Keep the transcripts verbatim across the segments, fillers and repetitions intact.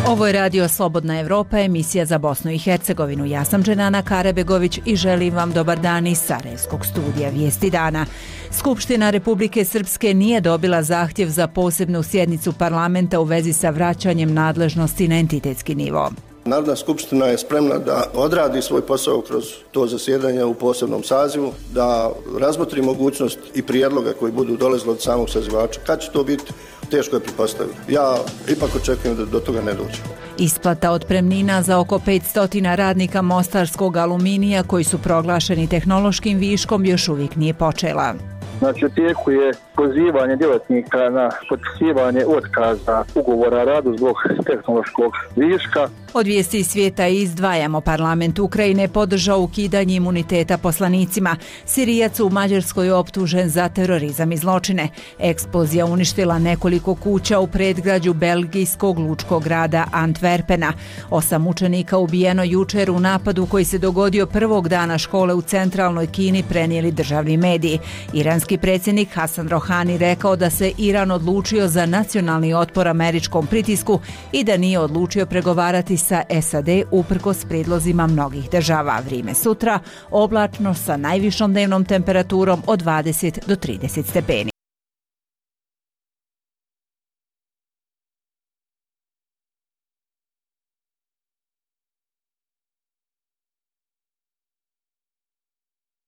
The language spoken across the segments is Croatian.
Ovo je Radio Slobodna Evropa, emisija za Bosnu i Hercegovinu. Ja sam Dženana Karabegović i želim vam dobar dan iz Sarajevskog studija Vijesti dana. Skupština Republike Srpske nije dobila zahtjev za posebnu sjednicu parlamenta u vezi sa vraćanjem nadležnosti na entitetski nivo. Narodna skupština je spremna da odradi svoj posao kroz to zasjedanje u posebnom sazivu, da razmotri mogućnost i prijedloga koji budu dolazili od samog sazivača. Kad će to biti, teško je pretpostaviti. Ja ipak očekujem da do toga ne dođe. Isplata otpremnina za oko petsto radnika mostarskog aluminija koji su proglašeni tehnološkim viškom još uvijek nije počela. Znači, u tijeku je pozivanje djelatnika na potpisivanje otkaza ugovora o radu zbog tehnološkog viška. Od vijesti svijeta izdvajamo. Parlament Ukrajine podržao ukidanje imuniteta poslanicima. Sirijac u Mađarskoj optužen za terorizam i zločine. Eksplozija uništila nekoliko kuća u predgrađu belgijskog lučkog grada Antwerpena. Osam učenika ubijeno jučer u napadu koji se dogodio prvog dana škole u centralnoj Kini, prenijeli državni mediji. Iranski predsjednik Hasan Rohani rekao da se Iran odlučio za nacionalni otpor američkom pritisku i da nije odlučio pregovarati sa S A D uprkos prijedlozima mnogih država. Vrijeme sutra oblačno sa najvišom dnevnom temperaturom od dvadeset do trideset stepeni.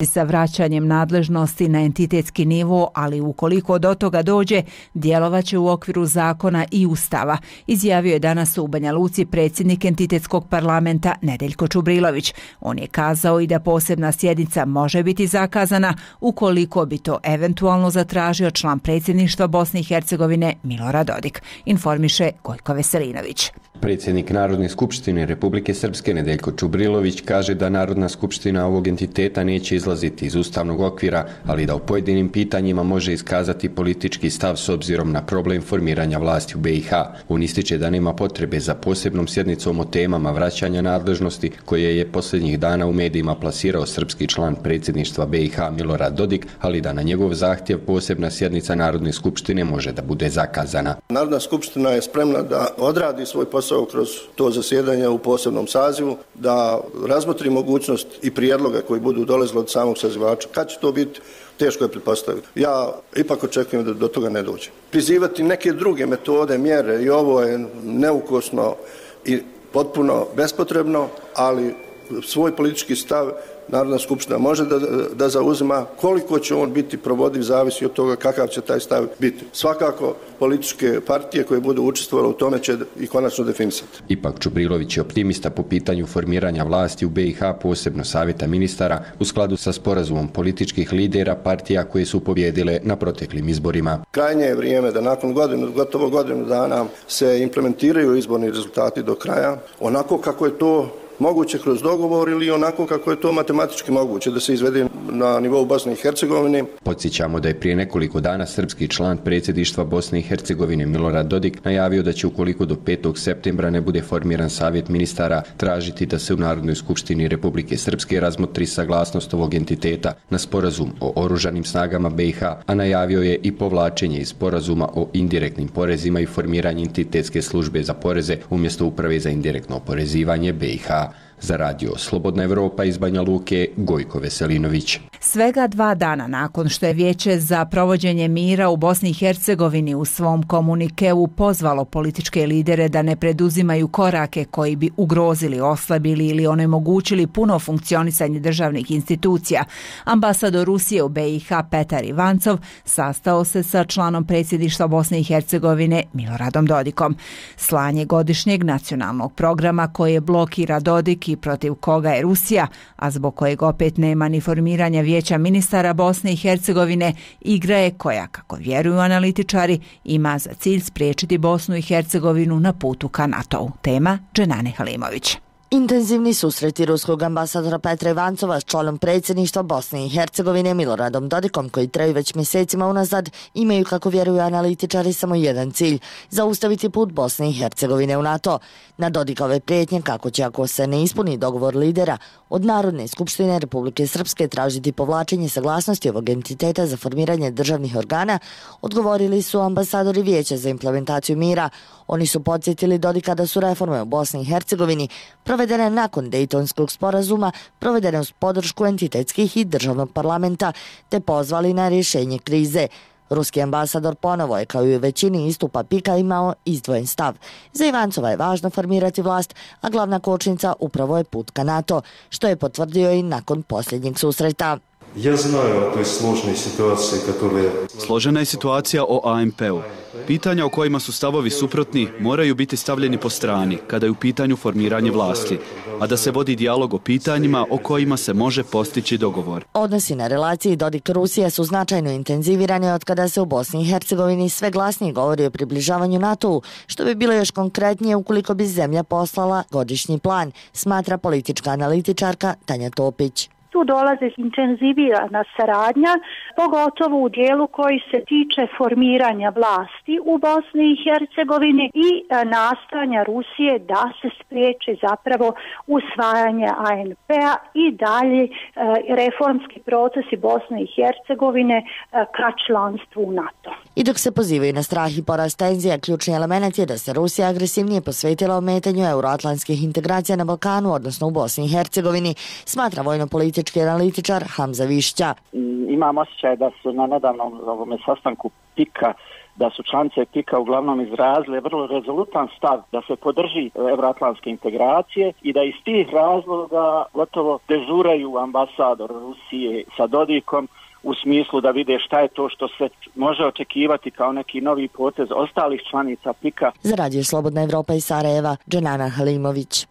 Sa vraćanjem nadležnosti na entitetski nivo, ali ukoliko do toga dođe, djelovaće u okviru zakona i ustava, izjavio je danas u Banja Luci predsjednik entitetskog parlamenta Nedeljko Čubrilović. On je kazao i da posebna sjednica može biti zakazana ukoliko bi to eventualno zatražio član predsjedništva Bosne i Hercegovine Milorad Dodik, informiše Gojko Veselinović. Predsjednik Narodne skupštine Republike Srpske Nedeljko Čubrilović kaže da Narodna skupština ovog entiteta neće izlaziti iz ustavnog okvira, ali da u pojedinim pitanjima može iskazati politički stav s obzirom na problem formiranja vlasti u B i H. On ističe da nema potrebe za posebnom sjednicom o temama vraćanja nadležnosti koje je posljednjih dana u medijima plasirao srpski član predsjedništva B i H Milorad Dodik, ali da na njegov zahtjev posebna sjednica Narodne skupštine može da bude zakazana. Narodna skupština je spremna da odradi svoj posao kroz to zasjedanje u posebnom sazivu, da razmotri mogućnost i prijedloga koji budu dolazili od samog sazivača. Kad će to biti, teško je pretpostaviti. Ja ipak očekujem da do toga ne dođe. Prizivati neke druge metode, mjere i ovo je neukosno i potpuno bespotrebno, ali svoj politički stav Narodna skupština može da, da zauzima. Koliko će on biti provodiv zavisi od toga kakav će taj stav biti. Svakako političke partije koje budu učestvovale u tome će i konačno definisati. Ipak Čubrilović je optimista po pitanju formiranja vlasti u B i H, posebno savjeta ministara, u skladu sa sporazumom političkih lidera partija koje su pobjedile na proteklim izborima. Krajnje je vrijeme da nakon godinu, gotovo godinu dana se implementiraju izborni rezultati do kraja, onako kako je to moguće kroz dogovor ili onako kako je to matematički moguće da se izvede na nivou Bosne i Hercegovine. Podsjećamo da je prije nekoliko dana srpski član predsjedništva Bosne i Hercegovine Milorad Dodik najavio da će ukoliko do petog septembra ne bude formiran savjet ministara tražiti da se u Narodnoj skupštini Republike Srpske razmotri saglasnost ovog entiteta na sporazum o oružanim snagama B i H, a najavio je i povlačenje iz sporazuma o indirektnim porezima i formiranje entitetske službe za poreze umjesto uprave za indirektno oporezivanje B i H. Za Radio Slobodna Evropa iz Banja Luke, Gojko Veselinović. Svega dva dana nakon što je Vijeće za provođenje mira u Bosni i Hercegovini u svom komunikeu pozvalo političke lidere da ne preduzimaju korake koji bi ugrozili, oslabili ili onemogućili puno funkcionisanje državnih institucija, ambasador Rusije u B i H Petar Ivancov sastao se sa članom predsjedništva Bosne i Hercegovine Miloradom Dodikom. Slanje godišnjeg nacionalnog programa koje blokira Dodik i protiv koga je Rusija, a zbog kojeg opet nema ni formiranja Vijeća ministara Bosne i Hercegovine, igra je koja, kako vjeruju analitičari, ima za cilj spriječiti Bosnu i Hercegovinu na putu ka NATO-u. Tema Dženane Halimović. Intenzivni susreti ruskog ambasadora Petra Ivancova s članom predsjedništva Bosne i Hercegovine Miloradom Dodikom, koji traju već mjesecima unazad, imaju, kako vjeruju analitičari, samo jedan cilj – zaustaviti put Bosne i Hercegovine u NATO. Na Dodikove prijetnje kako će, ako se ne ispuni dogovor lidera, od Narodne skupštine Republike Srpske tražiti povlačenje saglasnosti ovog entiteta za formiranje državnih organa, odgovorili su ambasadori Vijeća za implementaciju mira. Oni su podsjetili Dodika da su reforme u Bosni i Hercegovini provedene nakon Dejtonskog sporazuma, provedene uz podršku entitetskih i državnog parlamenta, te pozvali na rješenje krize. Ruski ambasador ponovo je, kao i u većini istupa Pika, imao izdvojen stav. Za Ivancova je važno formirati vlast, a glavna kočnica upravo je put ka NATO, što je potvrdio i nakon posljednjeg susreta. Ja znaju o toj složenoj situaciji, katole... Složena je situacija o A M P-u. Pitanja o kojima su stavovi suprotni moraju biti stavljeni po strani kada je u pitanju formiranje vlasti, a da se vodi dijalog o pitanjima o kojima se može postići dogovor. Odnosi na relaciji Dodik-Rusija su značajno intenzivirani od kada se u Bosni i Hercegovini sve glasnije govori o približavanju NATO-u, što bi bilo još konkretnije ukoliko bi zemlja poslala godišnji plan, smatra politička analitičarka Tanja Topić. Tu dolazi intenzivirana saradnja, pogotovo u dijelu koji se tiče formiranja vlasti u Bosni i Hercegovini i nastojanja Rusije da se spriječi zapravo usvajanje A N P-a i dalje reformski procesi Bosne i Hercegovine ka članstvu u NATO. I dok se pozivaju na strah i porast tenzija, ključni element je da se Rusija agresivnije posvetila ometanju euroatlantskih integracija na Balkanu, odnosno u Bosni i Hercegovini, smatra vojno-politički analitičar Hamza Višća. Imam osjećaj da su na nedavnom ovome sastanku Pika, da su članice Pika uglavnom izrazile vrlo rezolutan stav da se podrži euroatlantske integracije i da iz tih razloga gotovo dežuraju ambasador Rusije sa Dodikom u smislu da vide šta je to što se može očekivati kao neki novi potez ostalih članica Pika. Za Radio Slobodna Evropa iz Sarajeva, Dženana Halimović.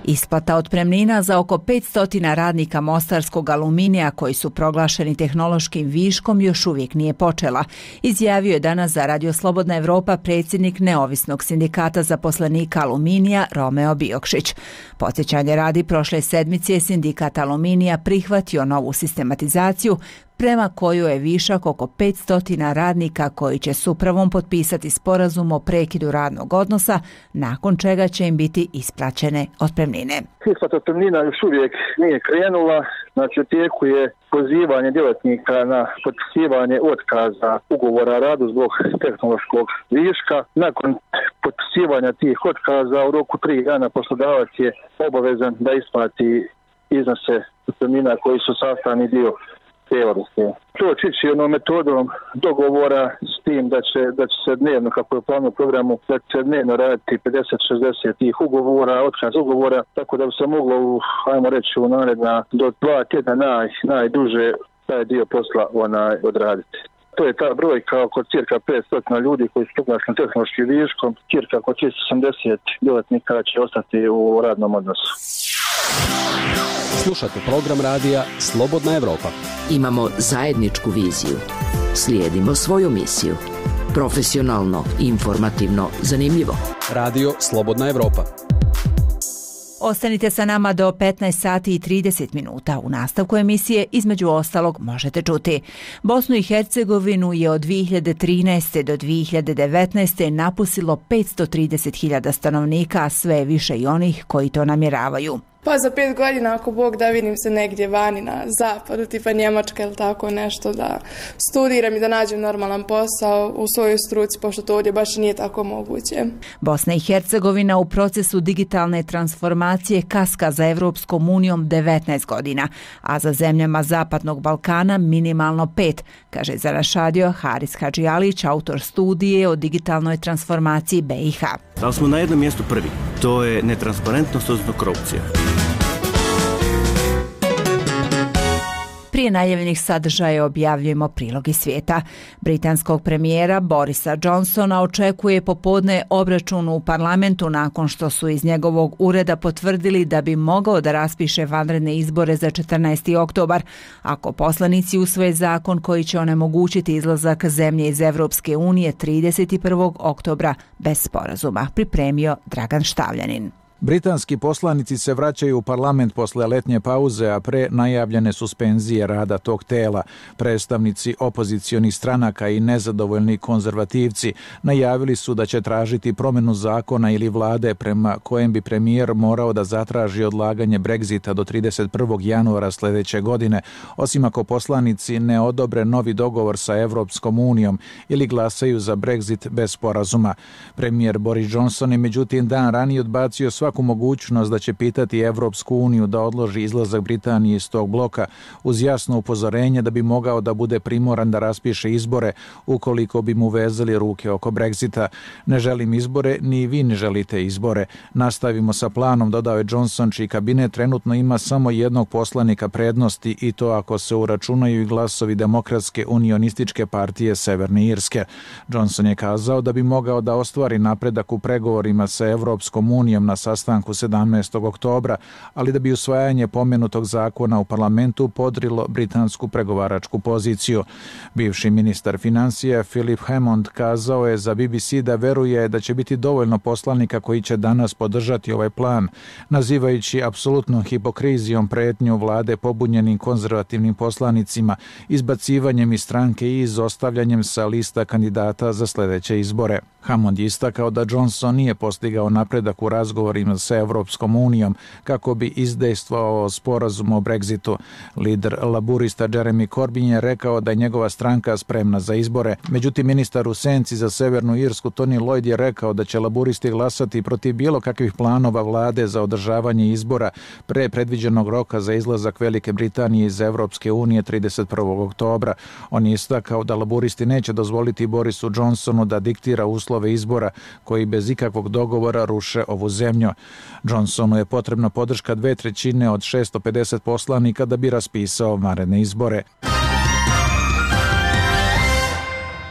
Isplata otpremnina za oko petsto radnika mostarskog aluminija koji su proglašeni tehnološkim viškom još uvijek nije počela, izjavio je danas za Radio Slobodna Evropa predsjednik neovisnog sindikata zaposlenika aluminija Romeo Biokšić. Podsjećanje radi, prošle sedmice je sindikat aluminija prihvatio novu sistematizaciju prema kojoj je višak oko petsto radnika koji će s upravom potpisati sporazum o prekidu radnog odnosa, nakon čega će im biti isplaćene otpremnine. Isplata otpremnina još uvijek nije krenula, znači u tijeku je pozivanje djelatnika na potpisivanje otkaza ugovora o radu zbog tehnološkog viška. Nakon potpisivanja tih otkaza u roku tri dana poslodavac je obavezan da isplati iznose otpremnina koji su sastavni dio te odluke. To će ići jednom metodom dogovora s tim da će, da će se dnevno, kako je u planu programu, da će se dnevno raditi pedeset šezdeset tih ugovora, otkaz ugovora, tako da bi se moglo, u, ajmo reći, u naredna do dva tjedna naj, najduže taj dio posla onaj odraditi. To je ta brojka oko cirka petsto ljudi koji su proglašeni tehnološkim viškom, cirka oko tristo osamdeset djelatnika će ostati u radnom odnosu. Slušate program radija Slobodna Evropa. Imamo zajedničku viziju. Slijedimo svoju misiju. Profesionalno, informativno, zanimljivo. Radio Slobodna Evropa. Ostanite sa nama do petnaest sati i trideset minuta. U nastavku emisije, između ostalog, možete čuti. Bosnu i Hercegovinu je od dvije hiljade trinaeste. do dvije hiljade devetnaeste. napustilo petsto trideset hiljada stanovnika, a sve više i onih koji to namjeravaju. Pa za pet godina, ako Bog da, vidim se negdje vani na zapadu, tipa Njemačka ili tako nešto, da studiram i da nađem normalan posao u svojoj struci, pošto to ovdje baš nije tako moguće. Bosna i Hercegovina u procesu digitalne transformacije kaska za Evropskom unijom devetnaest godina, a za zemljama Zapadnog Balkana minimalno pet, kaže za naš radio Haris Hadžialić, autor studije o digitalnoj transformaciji B i H. Ali smo na jednom mjestu prvi, to je netransparentnost, odnosno korupcija. Prije najavljenih sadržaja objavljujemo prilog iz svijeta. Britanskog premijera Borisa Johnsona očekuje popodne obračun u parlamentu nakon što su iz njegovog ureda potvrdili da bi mogao da raspiše vanredne izbore za četrnaesti oktobar, ako poslanici usvoje zakon koji će onemogućiti izlazak zemlje iz Evropske unije trideset prvog oktobra bez sporazuma, pripremio Dragan Štavljanin. Britanski poslanici se vraćaju u parlament posle letnje pauze, a pre najavljene suspenzije rada tog tela. Predstavnici opozicionih stranaka i nezadovoljni konzervativci najavili su da će tražiti promjenu zakona ili vlade prema kojem bi premijer morao da zatraži odlaganje Brexita do trideset prvog januara sljedeće godine, osim ako poslanici ne odobre novi dogovor sa Evropskom unijom ili glasaju za Brexit bez sporazuma. Premijer Boris Johnson je međutim dan ranije odbacio sva svaku mogućnost da će pitati Evropsku uniju da odloži izlazak Britanije iz tog bloka, uz jasno upozorenje da bi mogao da bude primoran da raspiše izbore ukoliko bi mu vezali ruke oko Brexita. Ne želim izbore, ni vi ne želite izbore. Nastavimo sa planom, dodao je Johnson, čiji kabinet trenutno ima samo jednog poslanika prednosti, i to ako se uračunaju i glasovi Demokratske unionističke partije Severne Irske. Johnson je kazao da bi mogao da ostvari napredak u pregovorima sa Evropskom unijom na sastanku sedamnaestog oktobra, ali da bi usvajanje pomenutog zakona u parlamentu podrilo britansku pregovaračku poziciju. Bivši ministar financija Philip Hammond kazao je za B B C da veruje da će biti dovoljno poslanika koji će danas podržati ovaj plan, nazivajući apsolutnom hipokrizijom pretnju vlade pobunjenim konzervativnim poslanicima, izbacivanjem iz stranke i izostavljanjem sa lista kandidata za sljedeće izbore. Hammond je istakao da Johnson nije postigao napredak u razgovorima sa Evropskom unijom kako bi izdejstvovao sporazum o Brexitu. Lider laburista Jeremy Corbyn je rekao da je njegova stranka spremna za izbore. Međutim, ministar u senci za Severnu Irsku Tony Lloyd je rekao da će laburisti glasati protiv bilo kakvih planova vlade za održavanje izbora pre predviđenog roka za izlazak Velike Britanije iz Evropske unije trideset prvog oktobra. On je istakao da laburisti neće dozvoliti Borisu Johnsonu da diktira uslove izbora koji bez ikakvog dogovora ruše ovu zemlju. Johnsonu je potrebna podrška dve trećine od šesto pedeset poslanika da bi raspisao vanredne izbore.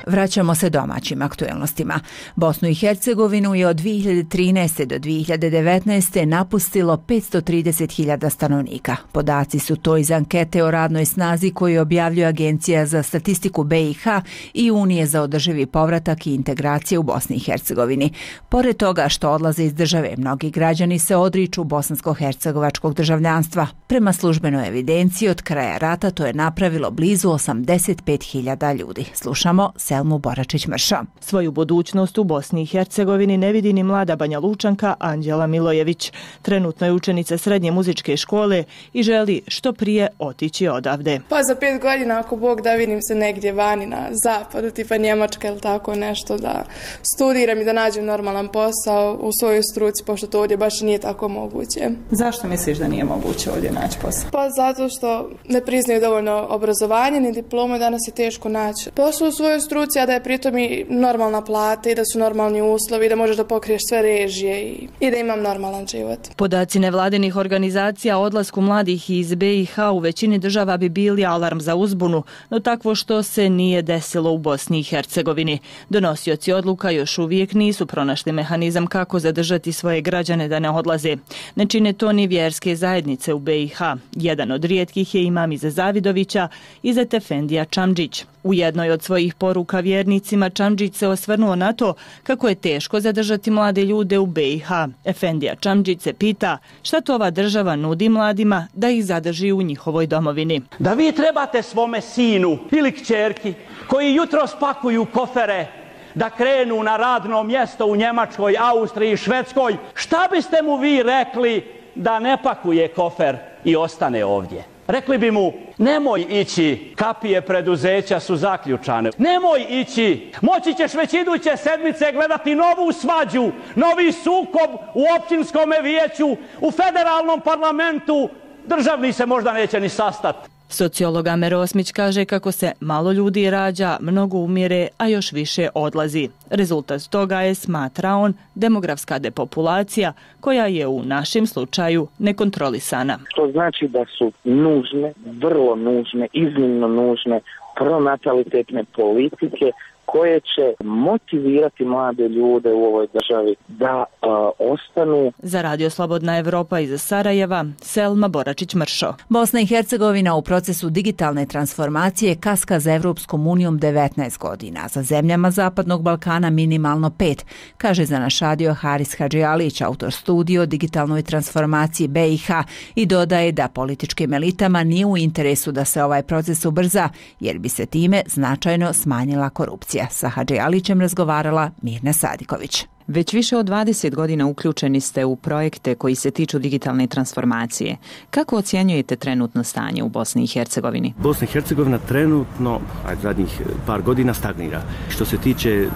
Vraćamo se domaćim aktuelnostima. Bosnu i Hercegovinu je od dvije hiljade trinaeste do dvije hiljade devetnaeste napustilo petsto trideset hiljada stanovnika. Podaci su to iz ankete o radnoj snazi koju objavljuje Agencija za statistiku B i H i Unije za održivi povratak i integracije u Bosni i Hercegovini. Pored toga što odlaze iz države, mnogi građani se odriču bosansko-hercegovačkog državljanstva. Prema službenoj evidenciji od kraja rata to je napravilo blizu osamdeset pet hiljada ljudi. Slušamo Selmu Boračić-Mrša. Svoju budućnost u Bosni i Hercegovini ne vidi ni mlada Banja Lučanka Anđela Milojević. Trenutno je učenica srednje muzičke škole i želi što prije otići odavde. Pa za pet godina, ako Bog da, vidim se negdje vani na zapadu, tipa Njemačka ili tako nešto, da studiram i da nađem normalan posao u svojoj struci, pošto to ovdje baš nije tako moguće. Zašto misliš da nije moguće ovdje naći posao? Pa zato što ne priznaju dovoljno obrazovanje ni diplome, danas je teško naći posao u svojoj struci, a da je pritom i normalna plata i da su normalni uslovi, da možeš da pokriješ sve režije i, i da imam normalan život. Podaci nevladinih organizacija o odlasku mladih iz B i H u većini država bi bili alarm za uzbunu, no takvo što se nije desilo u Bosni i Hercegovini. Donosioci odluka još uvijek nisu pronašli mehanizam kako zadržati svoje građane da ne odlaze. Ne čine to ni vjerske zajednice u B i H. Jedan od rijetkih je imam Iza Zavidovića, Izet Efendija Čamdžić. U jednoj od svojih poruka vjernicima Čamdžić se osvrnuo na to kako je teško zadržati mlade ljude u B i H. Efendija Čamdžić se pita šta to ova država nudi mladima da ih zadrži u njihovoj domovini. Da vi trebate svome sinu ili kćerki koji jutro spakuju kofere da krenu na radno mjesto u Njemačkoj, Austriji, Švedskoj, šta biste mu vi rekli da ne pakuje kofer i ostane ovdje? Rekli bi mu, nemoj ići, kapije preduzeća su zaključane. Nemoj ići, moći ćeš već iduće sedmice gledati novu svađu, novi sukob u općinskom vijeću, u federalnom parlamentu, državni se možda neće ni sastati. Sociolog Amer Osmić kaže kako se malo ljudi rađa, mnogo umire, a još više odlazi. Rezultat toga je, smatra on, demografska depopulacija koja je u našem slučaju nekontrolisana. To znači da su nužne, vrlo nužne, iznimno nužne pronatalitetne politike koje će motivirati mlade ljude u ovoj državi da uh, ostanu. Za Radio Slobodna Evropa iz Sarajeva, Selma Boračić-Mršo. Bosna i Hercegovina u procesu digitalne transformacije kaska za Evropskom unijom devetnaest godina, za zemljama Zapadnog Balkana minimalno pet, kaže za naš radio Haris Hadžialić, autor studija o digitalnoj transformaciji B i H, i dodaje da političkim elitama nije u interesu da se ovaj proces ubrza, jer bi se time značajno smanjila korupcija. Sa Hadžialićem razgovarala Mirna Sadiković. Već više od dvadeset godina uključeni ste u projekte koji se tiču digitalne transformacije. Kako ocjenjujete trenutno stanje u Bosni i Hercegovini? Bosna i Hercegovina trenutno, ajde, zadnjih par godina stagnira. Što se tiče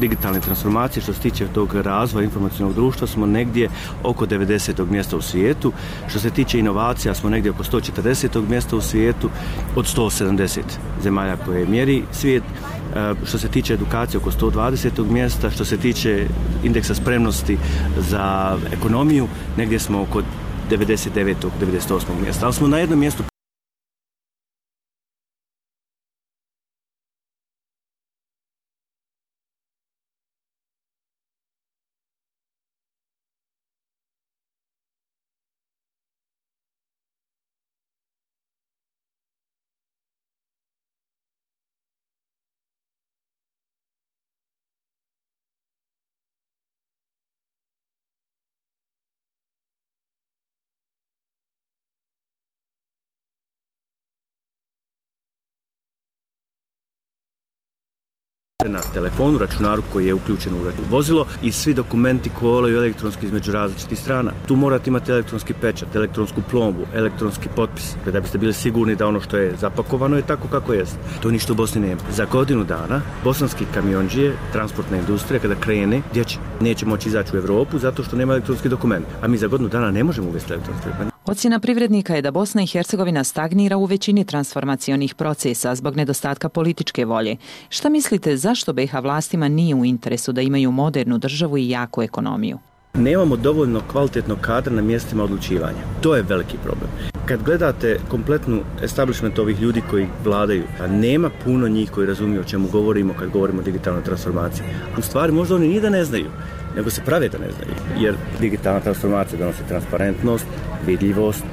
digitalne transformacije, što se tiče tog razvoja informacionalnog društva, smo negdje oko devedesetog mjesta u svijetu. Što se tiče inovacija, smo negdje oko sto četrdesetog mjesta u svijetu od sto sedamdeset zemalja koje mjeri svijet. Što se tiče edukacije, oko sto dvadesetog mjesta. Što se tiče indeksa spremnosti za ekonomiju, negdje smo oko devedeset devetog devedeset osmog mjesta. Ali smo na jednom mjestu. Na telefonu, računaru koji je uključen u vozilo i svi dokumenti kolaju elektronski između različitih strana. Tu morate imati elektronski pečat, elektronsku plombu, elektronski potpis, da biste bili sigurni da ono što je zapakovano je tako kako jest. To ništa u Bosni nema. Za godinu dana bosanski kamionđije, transportna industrija, kada krene, dječi, neće moći izaći u Evropu zato što nema elektronski dokument. A mi za godinu dana ne možemo uvesti elektronski dokument. Ocjena privrednika je da Bosna i Hercegovina stagnira u većini transformacionih procesa zbog nedostatka političke volje. Šta mislite, zašto B i H vlastima nije u interesu da imaju modernu državu i jaku ekonomiju? Nemamo dovoljno kvalitetnog kadra na mjestima odlučivanja. To je veliki problem. Kad gledate kompletnu establishment ovih ljudi koji vladaju, a nema puno njih koji razumiju o čemu govorimo kad govorimo o digitalnoj transformaciji. U stvari možda oni ni da ne znaju, nego se prave da ne znaju. Jer digitalna transformacija donosi transparentnost, vidljivost,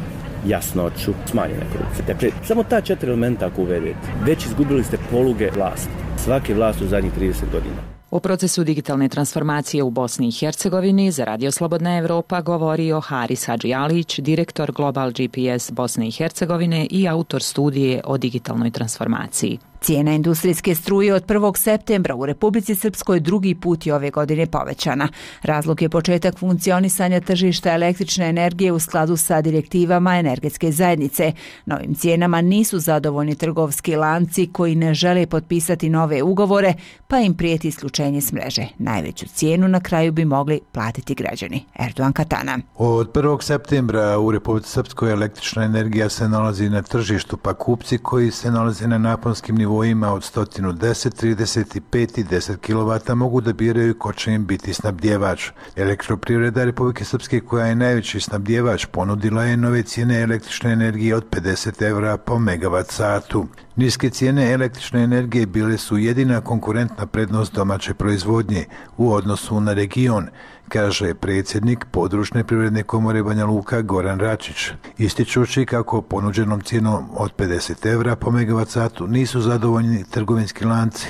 jasnoću, smanjene korupcije. Dakle, samo ta četiri elementa ako uvedete, već izgubili ste poluge vlasti. Svake vlasti u zadnjih trideset godina. O procesu digitalne transformacije u Bosni i Hercegovini za Radio Slobodna Evropa govorio Haris Hadžialić, direktor Global G P S Bosne i Hercegovine i autor studije o digitalnoj transformaciji. Cijena industrijske struje od prvog septembra u Republici Srpskoj drugi put je ove godine povećana. Razlog je početak funkcionisanja tržišta električne energije u skladu sa direktivama energetske zajednice. Novim cijenama nisu zadovoljni trgovski lanci koji ne žele potpisati nove ugovore, pa im prijeti isključenje s mreže. Najveću cijenu na kraju bi mogli platiti građani. Erdogan Katana. Od prvog septembra u Republici Srpskoj električna energija se nalazi na tržištu, pa kupci koji se nalaze na naponskim nivoima od sto deset, trideset pet i deset kilovata mogu da biraju ko će im biti snabdjevač. Elektroprivreda Republike Srpske, koja je najveći snabdjevač, ponudila je nove cijene električne energije od pedeset evra po megavat satu. Niske cijene električne energije bile su jedina konkurentna prednost domaće proizvodnje u odnosu na region, kaže predsjednik Područne privredne komore Banja Luka Goran Račić, ističući kako ponuđenom cijenom od pedeset evra po megavat satu nisu zadovoljni trgovinski lanci.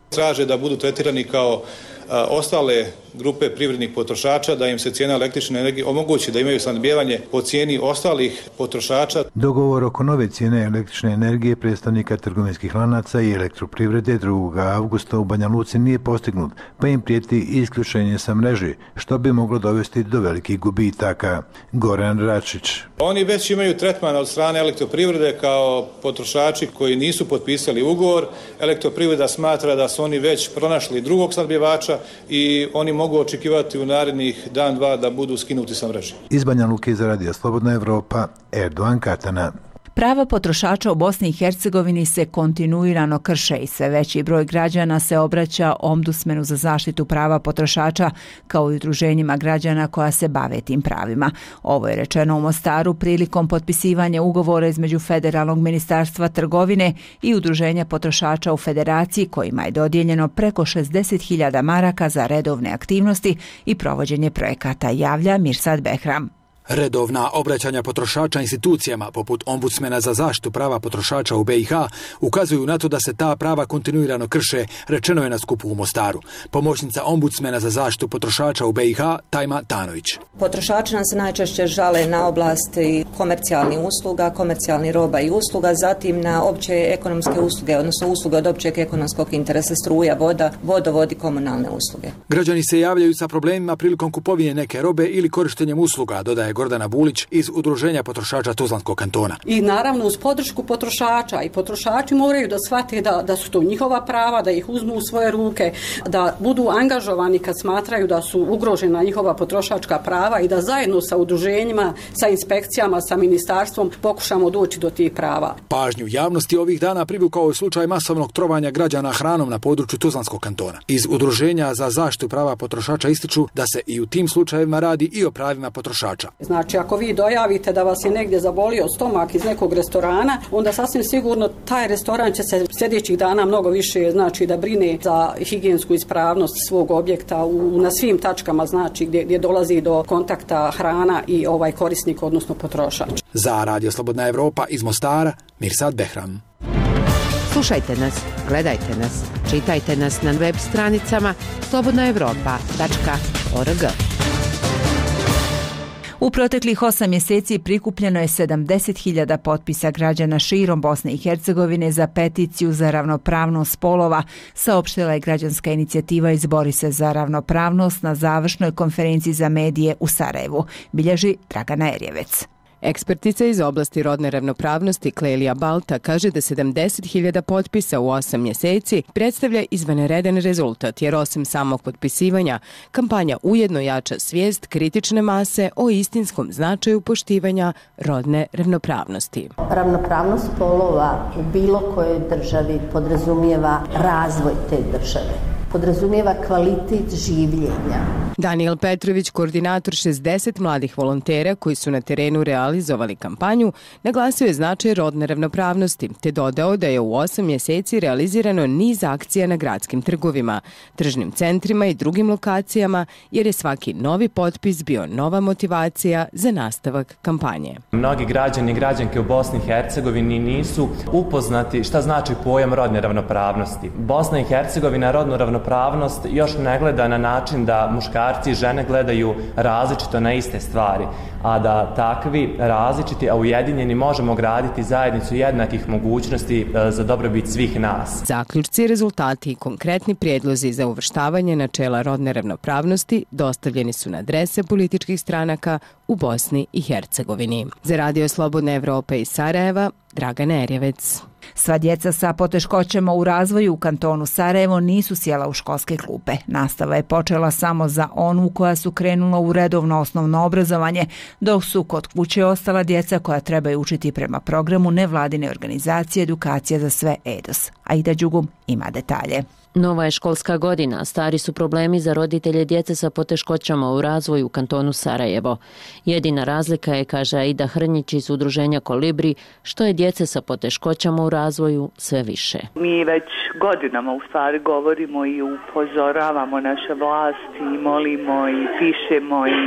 Traže da budu tretirani kao a, ostale grupe privrednih potrošača, da im se cijena električne energije omogući da imaju snabdijevanje po cijeni ostalih potrošača. Dogovor oko nove cijene električne energije predstavnika trgovinskih lanaca i elektroprivrede drugog avgusta u Banja Luci nije postignut, pa im prijeti isključenje sa mreže, što bi moglo dovesti do velikih gubitaka. Goran Račić. Oni već imaju tretman od strane elektroprivrede kao potrošači koji nisu potpisali ugovor. Elektroprivreda smatra da su oni već pronašli drugog snabdjevača i oni mogu očekivati u narednih dan, dva da budu skinuti sa mreže. Iz Banja Luke za Radio Slobodna Evropa, Erdogan Katana. Prava potrošača u Bosni i Hercegovini se kontinuirano krše i sve veći broj građana se obraća Ombudsmenu za zaštitu prava potrošača kao i udruženjima građana koja se bave tim pravima. Ovo je rečeno u Mostaru prilikom potpisivanja ugovora između Federalnog ministarstva trgovine i udruženja potrošača u Federaciji kojima je dodijeljeno preko šezdeset hiljada maraka za redovne aktivnosti i provođenje projekata, javlja Mirsad Behram. Redovna obraćanja potrošača institucijama, poput Ombudsmena za zaštitu prava potrošača u be i ha, ukazuju na to da se ta prava kontinuirano krše, rečeno je na skupu u Mostaru. Pomoćnica Ombudsmena za zaštitu potrošača u be i ha, Tajma Tanović. Potrošači nam se najčešće žale na oblasti komercijalnih usluga, komercijalnih roba i usluga, zatim na opće ekonomske usluge, odnosno usluge od općeg ekonomskog interesa, struja, voda, vodovod i komunalne usluge. Građani se javljaju sa problemima prilikom kupovine neke robe ili korištenjem usluga, dodaje Gordana Bulić iz Udruženja potrošača Tuzlanskog kantona. I naravno uz podršku potrošača i potrošači moraju da shvate da, da su to njihova prava, da ih uzmu u svoje ruke, da budu angažovani kad smatraju da su ugrožena njihova potrošačka prava i da zajedno sa udruženjima, sa inspekcijama, sa ministarstvom pokušamo doći do tih prava. Pažnju javnosti ovih dana privukao je slučaj masovnog trovanja građana hranom na području Tuzlanskog kantona. Iz Udruženja za zaštitu prava potrošača ističu da se i u tim slučajevima radi i o pravima potrošača. Znači, ako vi dojavite da vas je negdje zabolio stomak iz nekog restorana, onda sasvim sigurno taj restoran će se sljedećih dana mnogo više, znači, da brine za higijensku ispravnost svog objekta u, na svim tačkama, znači, gdje, gdje dolazi do kontakta hrana i ovaj korisnik, odnosno potrošač. Za Radio Slobodna Evropa iz Mostara, Mirsad Behram. Slušajte nas, gledajte nas, čitajte nas na web stranicama slobodna evropa tačka org. U proteklih osam mjeseci prikupljeno je sedamdeset hiljada potpisa građana širom Bosne i Hercegovine za peticiju za ravnopravnost spolova, saopštila je građanska inicijativa Izbori se za ravnopravnost na završnoj konferenciji za medije u Sarajevu, bilježi Dragana Erjevec. Ekspertica iz oblasti rodne ravnopravnosti Klelija Balta kaže da sedamdeset hiljada potpisa u osam mjeseci predstavlja izvanredan rezultat, jer osim samog potpisivanja, kampanja ujedno jača svijest kritične mase o istinskom značaju poštivanja rodne ravnopravnosti. Ravnopravnost spolova u bilo kojoj državi podrazumijeva razvoj te države. Podrazumijeva kvalitet življenja. Daniel Petrović, koordinator šezdeset mladih volontera koji su na terenu realizovali kampanju, naglasio je značaj rodne ravnopravnosti, te dodao da je u osam mjeseci realizirano niz akcija na gradskim trgovima, tržnim centrima i drugim lokacijama, jer je svaki novi potpis bio nova motivacija za nastavak kampanje. Mnogi građani i građanke u Bosni i Hercegovini nisu upoznati šta znači pojam rodne ravnopravnosti. Bosna i Hercegovina rodnu ravnopravnost Ravnopravnost još ne gleda na način da muškarci i žene gledaju različito na iste stvari, a da takvi različiti, a ujedinjeni možemo graditi zajednicu jednakih mogućnosti za dobrobit svih nas. Zaključci, rezultati i konkretni prijedlozi za uvrštavanje načela rodne ravnopravnosti dostavljeni su na adrese političkih stranaka u Bosni i Hercegovini. Za Radio Slobodna Evropa iz Sarajeva, Dragana Erjevec. Sva djeca sa poteškoćama u razvoju u kantonu Sarajevo nisu sjela u školske klupe. Nastava je počela samo za onu koja su krenula u redovno osnovno obrazovanje, dok su kod kuće ostala djeca koja trebaju učiti prema programu nevladine organizacije Edukacija za sve E D O S. Aida Đugum ima detalje. Nova je školska godina, stari su problemi za roditelje djece sa poteškoćama u razvoju u kantonu Sarajevo. Jedina razlika je, kaže Aida Hrnjić iz udruženja Kolibri, što je djece sa poteškoćama u razvoju sve više. Mi već godinama u stvari govorimo i upozoravamo naše vlasti i molimo i pišemo i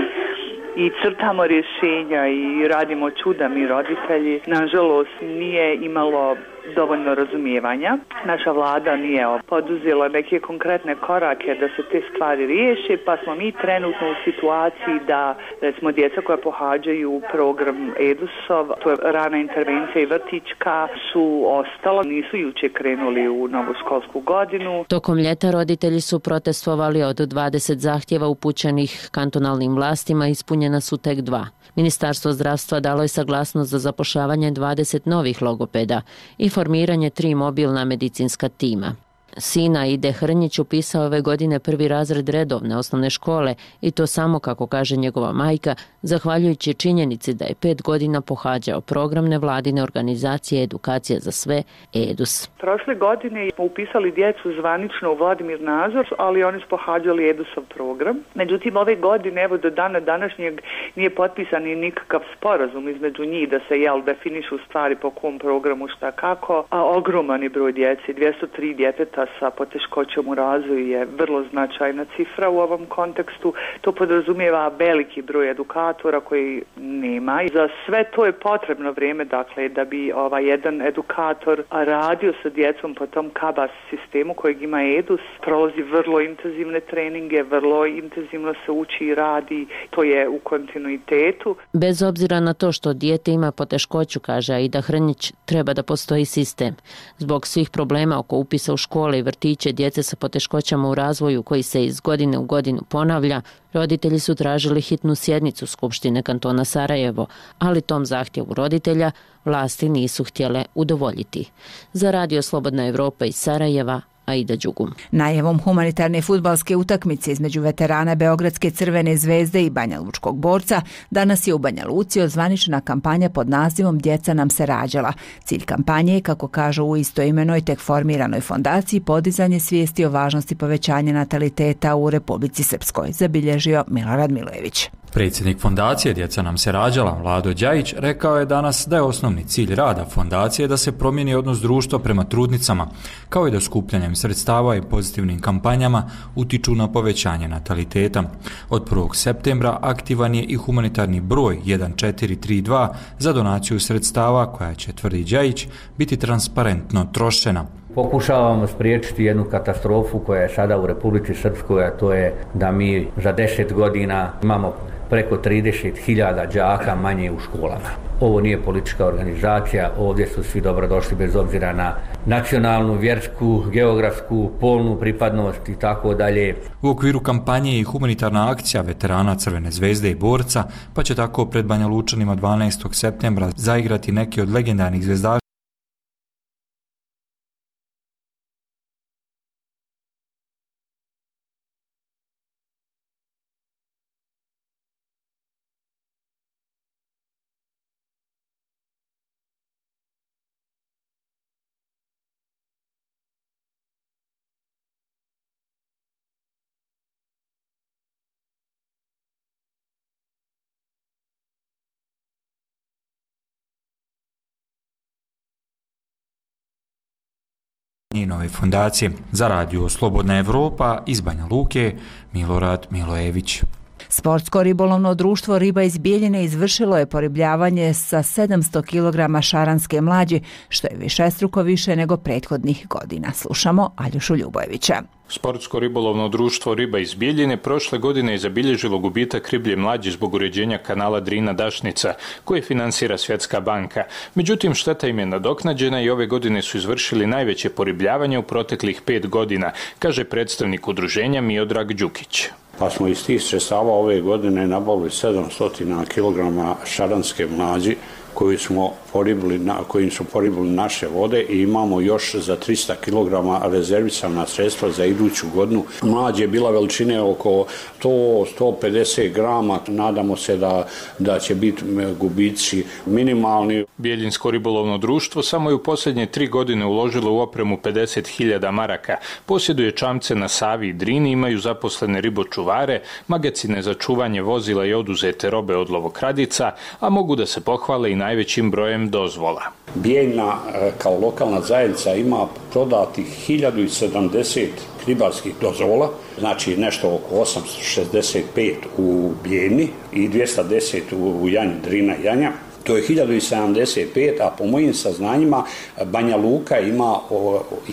i crtamo rješenja i radimo čuda mi roditelji. Nažalost, nije imalo dovoljno razumijevanja. Naša vlada nije poduzela neke konkretne korake da se te stvari riješe, pa smo mi trenutno u situaciji da, recimo, djeca koja pohađaju program E D O S-ov, to je rana intervencija i vrtićka, su ostala, nisu juče krenuli u novu školsku godinu. Tokom ljeta roditelji su protestovali, od dvadeset zahtjeva upućenih kantonalnim vlastima ispunjena su tek dva. Ministarstvo zdravstva dalo je saglasnost za zapošljavanje dvadeset novih logopeda i formiranje tri mobilna medicinska tima. Sina Ide Hrnjić upisao ove godine prvi razred redovne osnovne škole i to samo, kako kaže njegova majka, zahvaljujući činjenici da je pet godina pohađao program nevladine organizacije Edukacija za sve, EDUS. Prošle godine smo upisali djecu zvanično u Vladimir Nazor, ali oni su pohađali EDUSov program. Međutim, ove godine, evo do dana današnjeg, nije potpisan ni nikakav sporazum između njih da se jel definišu stvari po kom programu šta kako, a ogroman je broj djece, dvjesto tri djeteta sa poteškoćom u razvoju je vrlo značajna cifra u ovom kontekstu. To podrazumijeva veliki broj edukatora koji nema. I za sve to je potrebno vrijeme, dakle, da bi ovaj jedan edukator radio sa djecom po tom KABAS sistemu kojeg ima EDUS, prolazi vrlo intenzivne treninge, vrlo intenzivno se uči i radi, to je u kontinuitetu. Bez obzira na to što dijete ima poteškoću, kaže Aida Hrnjić, treba da postoji sistem. Zbog svih problema oko upisa u škole i vrtiće djece sa poteškoćama u razvoju koji se iz godine u godinu ponavlja, roditelji su tražili hitnu sjednicu Skupštine kantona Sarajevo, ali tom zahtjevu roditelja vlasti nisu htjele udovoljiti. Za Radio Slobodna Evropa iz Sarajeva, Aida Đugum. Najavom humanitarne fudbalske utakmice između veterana Beogradske Crvene zvezde i Banja Lučkog Borca danas je u Banja Luci ozvaničena kampanja pod nazivom Djeca nam se rađala. Cilj kampanje je, kako kažu u istoimenoj tek formiranoj fondaciji, podizanje svijesti o važnosti povećanja nataliteta u Republici Srpskoj, zabilježio Milorad Milojević. Predsjednik fondacije Djeca nam se rađala, Vlado Đajić, rekao je danas da je osnovni cilj rada fondacije da se promijeni odnos društva prema trudnicama, kao i da skupljanjem sredstava i pozitivnim kampanjama utiču na povećanje nataliteta. Od prvog septembra aktivan je i humanitarni broj jedan četiri tri dva za donaciju sredstava koja će, tvrdi Đajić, biti transparentno trošena. Pokušavamo spriječiti jednu katastrofu koja je sada u Republici Srpskoj, a to je da mi za deset godina imamo preko trideset hiljada đaka manje u školama. Ovo nije politička organizacija, ovdje su svi dobrodošli bez obzira na nacionalnu, vjersku, geografsku, polnu pripadnost i tako dalje. U okviru kampanje i humanitarna akcija veterana Crvene zvezde i Borca, pa će tako pred Banja Lučanima dvanaestog septembra zaigrati neki od legendarnih zvezdaša nove fondacije. Za Radio Slobodna Evropa iz Banja Luke, Milorad Milojević. Sportsko ribolovno društvo Riba iz Bijeljine izvršilo je poribljavanje sa sedamsto kilograma šaranske mlađe, što je višestruko više nego prethodnih godina. Slušamo Aljošu Ljubojevića. Sportsko ribolovno društvo Riba iz Bijeljine prošle godine je zabilježilo gubitak riblje mlađe zbog uređenja kanala Drina-Dašnica, koje finansira Svjetska banka. Međutim, šteta im je nadoknađena i ove godine su izvršili najveće poribljavanje u proteklih pet godina, kaže predstavnik udruženja Miodrag Đukić. Pa smo iz tih sredstava ove godine nabavili sedamsto kilograma šaranske mlađi koji smo poribili, na, kojim su poribili naše vode i imamo još za tristo kilograma rezervisana sredstva za iduću godinu. Mlađe je bila veličine oko sto do sto pedeset grama, nadamo se da, da će biti gubici minimalni. Bijeljinsko ribolovno društvo samo je u posljednje tri godine uložilo u opremu pedeset hiljada maraka, posjeduje čamce na Savi i Drini, imaju zaposlene ribočuvare, magacine za čuvanje vozila i oduzete robe od lovokradica, a mogu da se pohvale i najvećim brojem dozvola. Bijeljna kao lokalna zajednica ima prodatih hiljadu sedamdeset ribarskih dozvola, znači nešto oko osamsto šezdeset pet u Bijeljni i dvjesto deset u Janji, Drina Janja. To je hiljadu sedamdeset pet, a po mojim saznanjima Banja Luka ima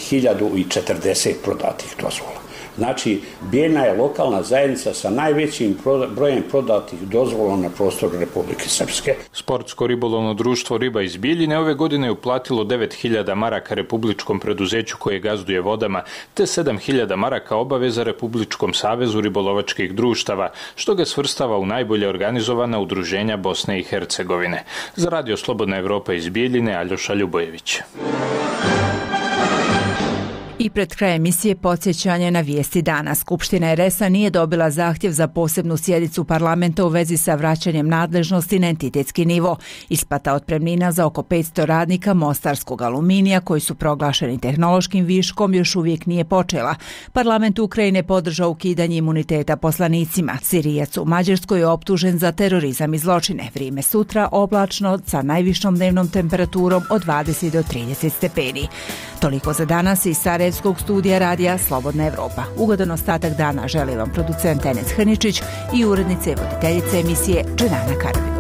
hiljadu četrdeset prodatih dozvola. Znači, Bijeljna je lokalna zajednica sa najvećim brojem prodatih dozvola na prostoru Republike Srpske. Sportsko ribolovno društvo Riba iz Bijeljine ove godine je uplatilo devet hiljada maraka republičkom preduzeću koje gazduje vodama, te sedam hiljada maraka obaveza Republičkom savezu ribolovačkih društava, što ga svrstava u najbolje organizovana udruženja Bosne i Hercegovine. Za Radio Slobodna Evropa iz Bijeljine, Aljoša Ljubojević. I pred kraj emisije podsjećanje na vijesti dana. Skupština er es a nije dobila zahtjev za posebnu sjednicu parlamenta u vezi sa vraćanjem nadležnosti na entitetski nivo. Isplata otpremnina za oko petsto radnika mostarskog aluminija koji su proglašeni tehnološkim viškom još uvijek nije počela. Parlament Ukrajine podržao ukidanje imuniteta poslanicima. Sirijac u Mađarskoj je optužen za terorizam i zločine. Vrijeme sutra oblačno sa najvišom dnevnom temperaturom od dvadeset do trideset stepeni. Toliko za danas iz Sarajevskog studija radija Slobodna Evropa. Ugodan ostatak dana želi vam producent Enes Hrničić i urednice i voditeljice emisije Dženana Karabin.